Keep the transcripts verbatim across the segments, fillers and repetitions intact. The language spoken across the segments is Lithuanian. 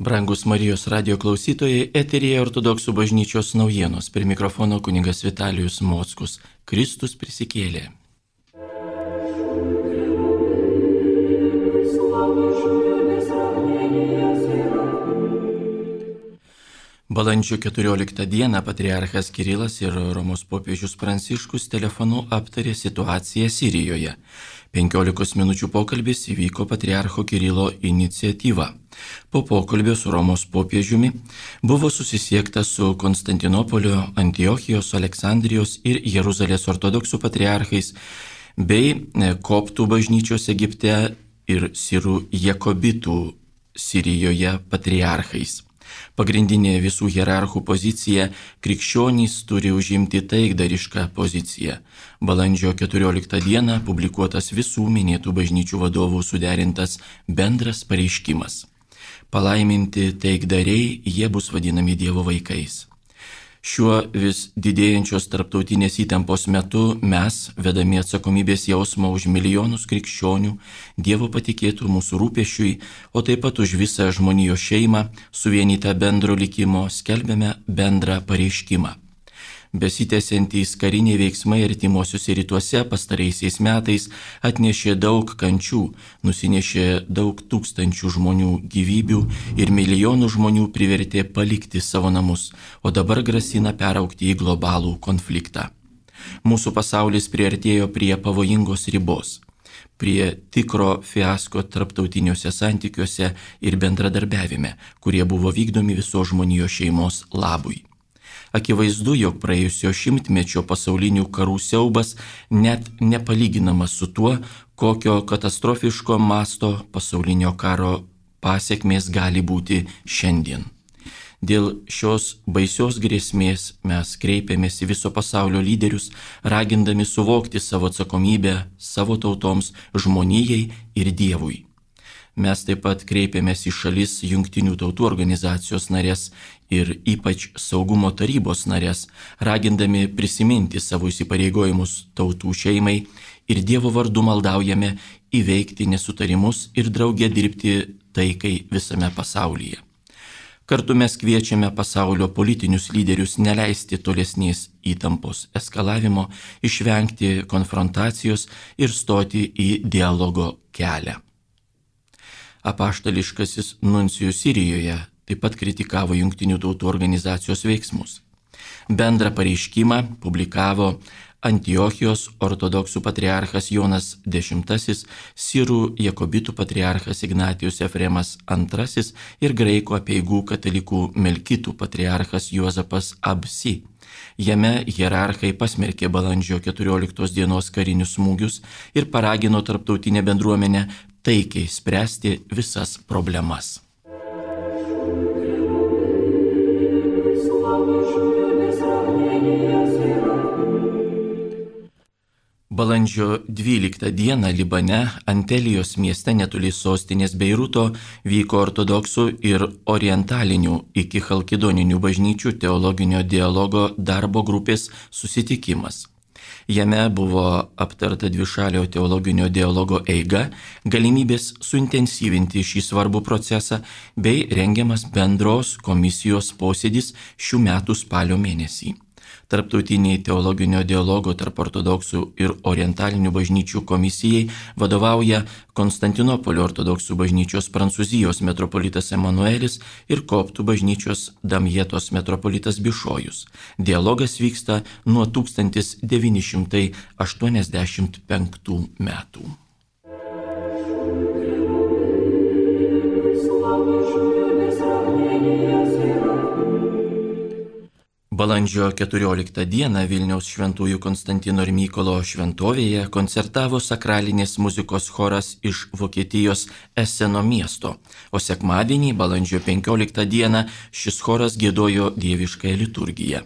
Brangus Marijos radio klausytojai, eteryje Ortodoksų bažnyčios naujienos. Prie mikrofono kunigas Vitalijus Mockus. Kristus prisikėlė. Balandžio keturioliktą dieną patriarchas Kirilas ir Romos popiežius Pranciškus telefonu aptarė situaciją Sirijoje. penkiolikos minučių pokalbis įvyko patriarcho Kirilo iniciatyva. Po pokalbio su Romos popiežiumi buvo susisiekta su Konstantinopolio, Antiochijos, Aleksandrijos ir Jeruzalės ortodoksų patriarchais bei koptų bažnyčios Egipte ir sirų jakobitų Sirijoje patriarchais. Pagrindinė visų hierarchų pozicija – krikščionys turi užimti taikdarišką poziciją. Balandžio keturioliktą dieną publikuotas visų minėtų bažnyčių vadovų suderintas bendras pareiškimas. Palaiminti taikdariai, jie bus vadinami Dievo vaikais. Šiuo vis didėjančios tarptautinės įtampos metu mes, vedami atsakomybės jausmą už milijonus krikščionių, Dievo patikėtų mūsų rūpesčiui, o taip pat už visą žmonijos šeimą, suvienytą bendro likimo, skelbėme bendrą pareiškimą. Besitęsiantys kariniai veiksmai artimuosiuose rytuose pastaraisiais metais atnešė daug kančių, nusinešė daug tūkstančių žmonių gyvybių ir milijonų žmonių privertė palikti savo namus, o dabar grasina peraugti į globalų konfliktą. Mūsų pasaulis priartėjo prie pavojingos ribos, prie tikro fiasko tarptautiniuose santykiuose ir bendradarbiavime, kurie buvo vykdomi visos žmonijos šeimos labui. Akivaizdu, jog praėjusio šimtmečio pasaulinių karų siaubas net nepalyginamas su tuo, kokio katastrofiško masto pasaulinio karo pasekmės gali būti šiandien. Dėl šios baisios grėsmės mes kreipiamės į viso pasaulio lyderius, ragindami suvokti savo atsakomybę savo tautoms, žmonijai ir Dievui. Mes taip pat kreipiamės į šalis Jungtinių tautų organizacijos narės ir ypač Saugumo tarybos narės, ragindami prisiminti savo įsipareigojimus tautų šeimai ir Dievo vardu maldaujame įveikti nesutarimus ir drauge dirbti taikai visame pasaulyje. Kartu mes kviečiame pasaulio politinius lyderius neleisti tolesnės įtampos eskalavimo, išvengti konfrontacijos ir stoti į dialogo kelią. Apaštališkasis nuncijus Sirijoje taip pat kritikavo Jungtinių tautų organizacijos veiksmus. Bendrą pareiškimą publikavo Antiochijos ortodoksų patriarchas Jonas X, sirų jakobitų patriarchas Ignatijus Efremas antrasis ir graikų apeigų katalikų melkitų patriarchas Juozapas Absi. Jame hierarchai pasmerkė balandžio keturioliktos dienos karinius smūgius ir paragino tarptautinę bendruomenę taikiai spręsti visas problemas. Balandžio dvyliktą dieną Libane, Antelijos mieste netoli sostinės Beiruto, vyko ortodoksų ir orientalinių iki chalkidoninių bažnyčių teologinio dialogo darbo grupės susitikimas. Jame buvo aptarta dvišalio teologinio dialogo eiga, galimybės suintensyvinti šį svarbų procesą bei rengiamas bendros komisijos posėdis šių metų spalio mėnesį. Tarptautiniai teologinio dialogo tarp ortodoksų ir orientalinių bažnyčių komisijai vadovauja Konstantinopolio ortodoksų bažnyčios Prancūzijos metropolitas Emanuelis ir koptų bažnyčios Damjetos metropolitas Bišojus. Dialogas vyksta nuo tūkstantis devyni šimtai aštuoniasdešimt penktų metų. Balandžio keturioliktą dieną Vilniaus šventųjų Konstantino ir Mykolo šventovėje koncertavo sakralinės muzikos choras iš Vokietijos Eseno miesto, o sekmadienį, balandžio penkioliktą dieną, šis choras giedojo dieviškąją liturgiją.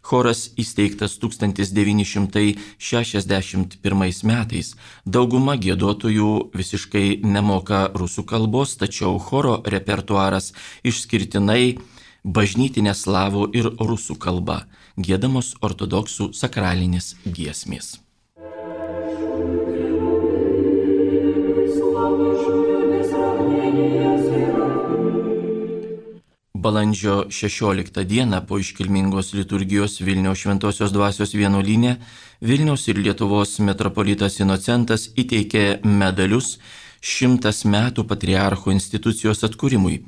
Choras įsteigtas tūkstantis devyni šimtai šešiasdešimt pirmais metais. Dauguma giedotojų visiškai nemoka rusų kalbos, tačiau choro repertuaras išskirtinai bažnytinė slavų ir rusų kalba, giedamos ortodoksų sakralinės giesmės. Balandžio šešioliktą dieną po iškilmingos liturgijos Vilniaus Šventosios Dvasios vienuolyne Vilniaus ir Lietuvos metropolitas Inocentas įteikė medalius šimtas metų patriarcho institucijos atkūrimui,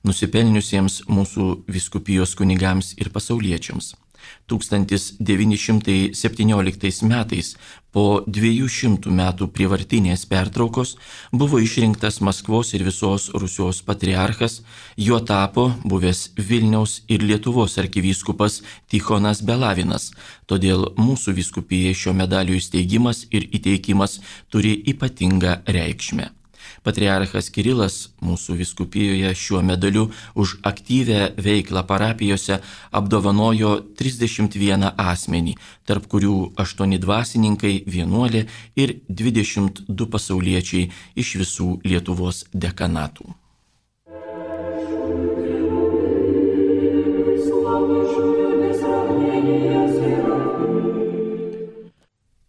nusipelniusiems mūsų vyskupijos kunigams ir pasauliečiams. tūkstantis devyni šimtai septynioliktais metais po dviejų šimtų metų prievartinės pertraukos buvo išrinktas Maskvos ir visos Rusijos patriarchas, juo tapo buvęs Vilniaus ir Lietuvos arkivyskupas Tichonas Belavinas, todėl mūsų vyskupijai šio medalio įsteigimas ir įteikimas turi ypatingą reikšmę. Patriarchas Kirilas mūsų vyskupijoje šiuo medaliu už aktyvę veiklą parapijose apdovanojo trisdešimt vieną asmenį, tarp kurių aštuoni dvasininkai, vienuolė ir dvidešimt du pasauliečiai iš visų Lietuvos dekanatų.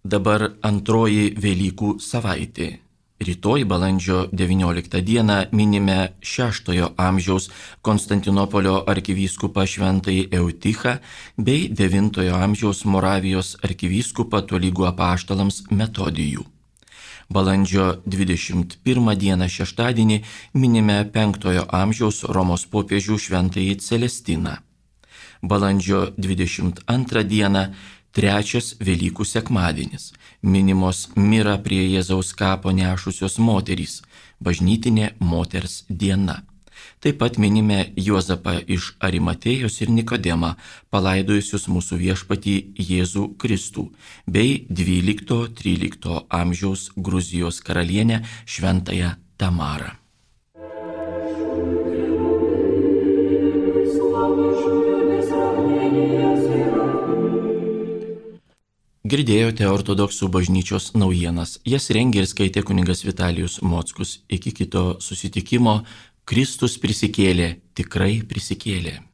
Dabar antroji Velykų savaitė. Rytoj balandžio devynioliktą dieną minime šeštojo amžiaus Konstantinopolio arkivyskupą šventąjį Eutichą bei devintojo amžiaus Moravijos arkivyskupą tolygų apaštalams Metodijų. Balandžio dvidešimt pirmą dieną šeštadienį minime penktojo amžiaus Romos popiežių šventąjį Celestiną. Balandžio dvidešimt antrą dieną trečias Velykų sekmadienis, minimos mirą prie Jėzaus kapo nešusios moterys, bažnytinė moters diena. Taip pat minime Juozapą iš Arimatėjos ir Nikodemą, palaidojusius mūsų viešpatį Jėzų Kristų, bei dvylikto-trylikto amžiaus Gruzijos karalienę šventąją Tamarą. Girdėjote ortodoksų bažnyčios naujienas. Jas rengė ir skaitė kunigas Vitalijus Mockus. Iki kito susitikimo. Kristus prisikėlė, tikrai prisikėlė.